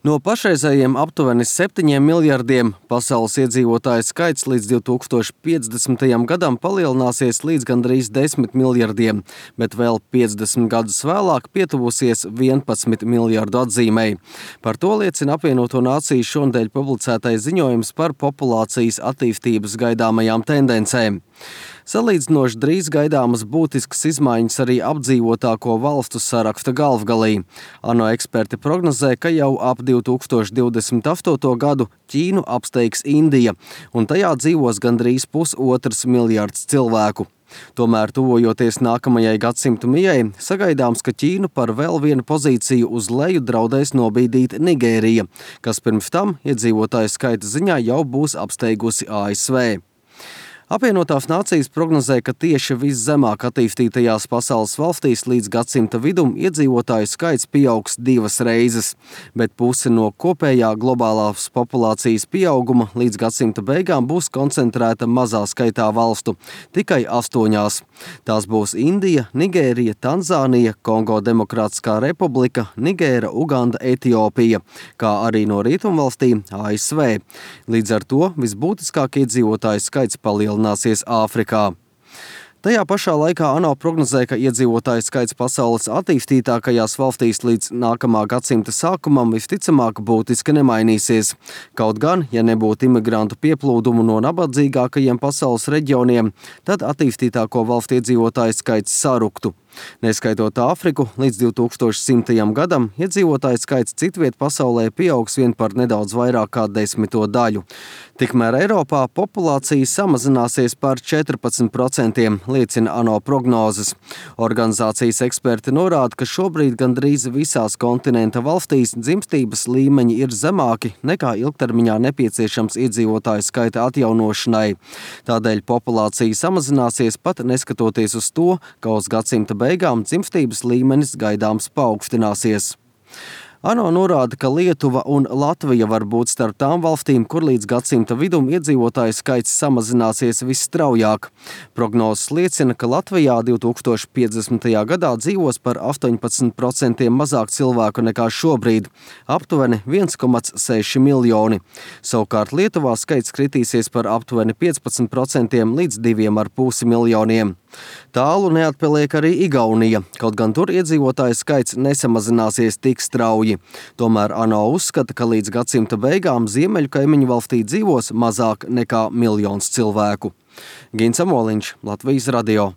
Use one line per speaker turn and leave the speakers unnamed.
No pašreizējiem aptuveni 7 miljardiem pasaules iedzīvotāju skaits līdz 2050. gadam palielināsies līdz gandrīz 10 miljardiem, bet vēl 50 gadus vēlāk pietuvusies 11 miljardu atzīmei. Par to liecina Apvienoto Nāciju šonedēļ publicētais ziņojums par populācijas attīstības gaidāmajām tendencēm. Salīdzinoši drīz gaidāmas būtiskas izmaiņas arī apdzīvotāko valstu saraksta galvgalī. ANO eksperti prognozē, ka jau ap 2028. gadu Ķīnu apsteigs Indija, un tajā dzīvos gandrīz 1,5 miljards cilvēku. Tomēr, tuvojoties nākamajai gadsimtu mijai, sagaidāms, ka Ķīnu par vēl vienu pozīciju uz leju draudēs nobīdīt Nigērija, kas pirms tam iedzīvotāju skaita ziņā jau būs apsteigusi ASV. Apvienotās Nācijas prognozē, ka tieši viszemāk attīstītajās pasaules valstīs līdz gadsimta vidum iedzīvotāju skaits pieaugs 2 reizes, bet puse no kopējā globālās populācijas pieauguma līdz gadsimta beigām būs koncentrēta mazā skaitā valstu, tikai 8. Tās būs Indija, Nigērija, Tanzānija, Kongo Demokrātiskā republika, Nigēra, Uganda, Etiopija, kā arī no rietumvalstīm ASV. Līdz ar to visbūtiskāk iedzīvotāju skaits palielināsies Āfrikā. Tajā pašā laikā ANO prognozē, ka iedzīvotāju skaits pasaules attīstītākajās valstīs līdz nākamā gadsimta sākumam visticamāk būtiski nemainīsies. Kaut gan, ja nebūtu imigrantu pieplūdumu no nabadzīgākajiem pasaules reģioniem, tad attīstītāko valstu iedzīvotāju skaits saruktu. Neskaitot Āfriku, līdz 2100. gadam iedzīvotāju skaits citviet pasaulē pieaugs vien par nedaudz vairāk kā 10 daļu. Tikmēr Eiropā populācija samazināsies par 14%, liecina ANO prognozes. Organizācijas eksperti norāda, ka šobrīd gandrīz visās kontinenta valstīs dzimstības līmeņi ir zemāki nekā ilgtermiņā nepieciešams iedzīvotāju skaita atjaunošanai. Tādēļ populācija samazināsies pat neskatoties uz to, ka uz gadsimta beigām dzimstības līmenis gaidāms paaugstināsies. ANO norāda, ka Lietuva un Latvija var būt starp tām valstīm, kur līdz gadsimta vidum iedzīvotāju skaits samazināsies visstraujāk. Prognozes liecina, ka Latvijā 2050. gadā dzīvos par 18% mazāk cilvēku nekā šobrīd, aptuveni 1,6 miljoni. Savukārt Lietuvā skaits kritīsies par aptuveni 15% līdz 2,5 miljoniem. Tālu neatpaliek arī Igaunija, kaut gan tur iedzīvotāju skaits nesamazināsies tik strauji. Tomēr ANO uzskata, ka līdz gadsimta beigām ziemeļu kaimiņu valstī dzīvos mazāk nekā 1 miljons cilvēku. Gins Amoliņš, Latvijas radio.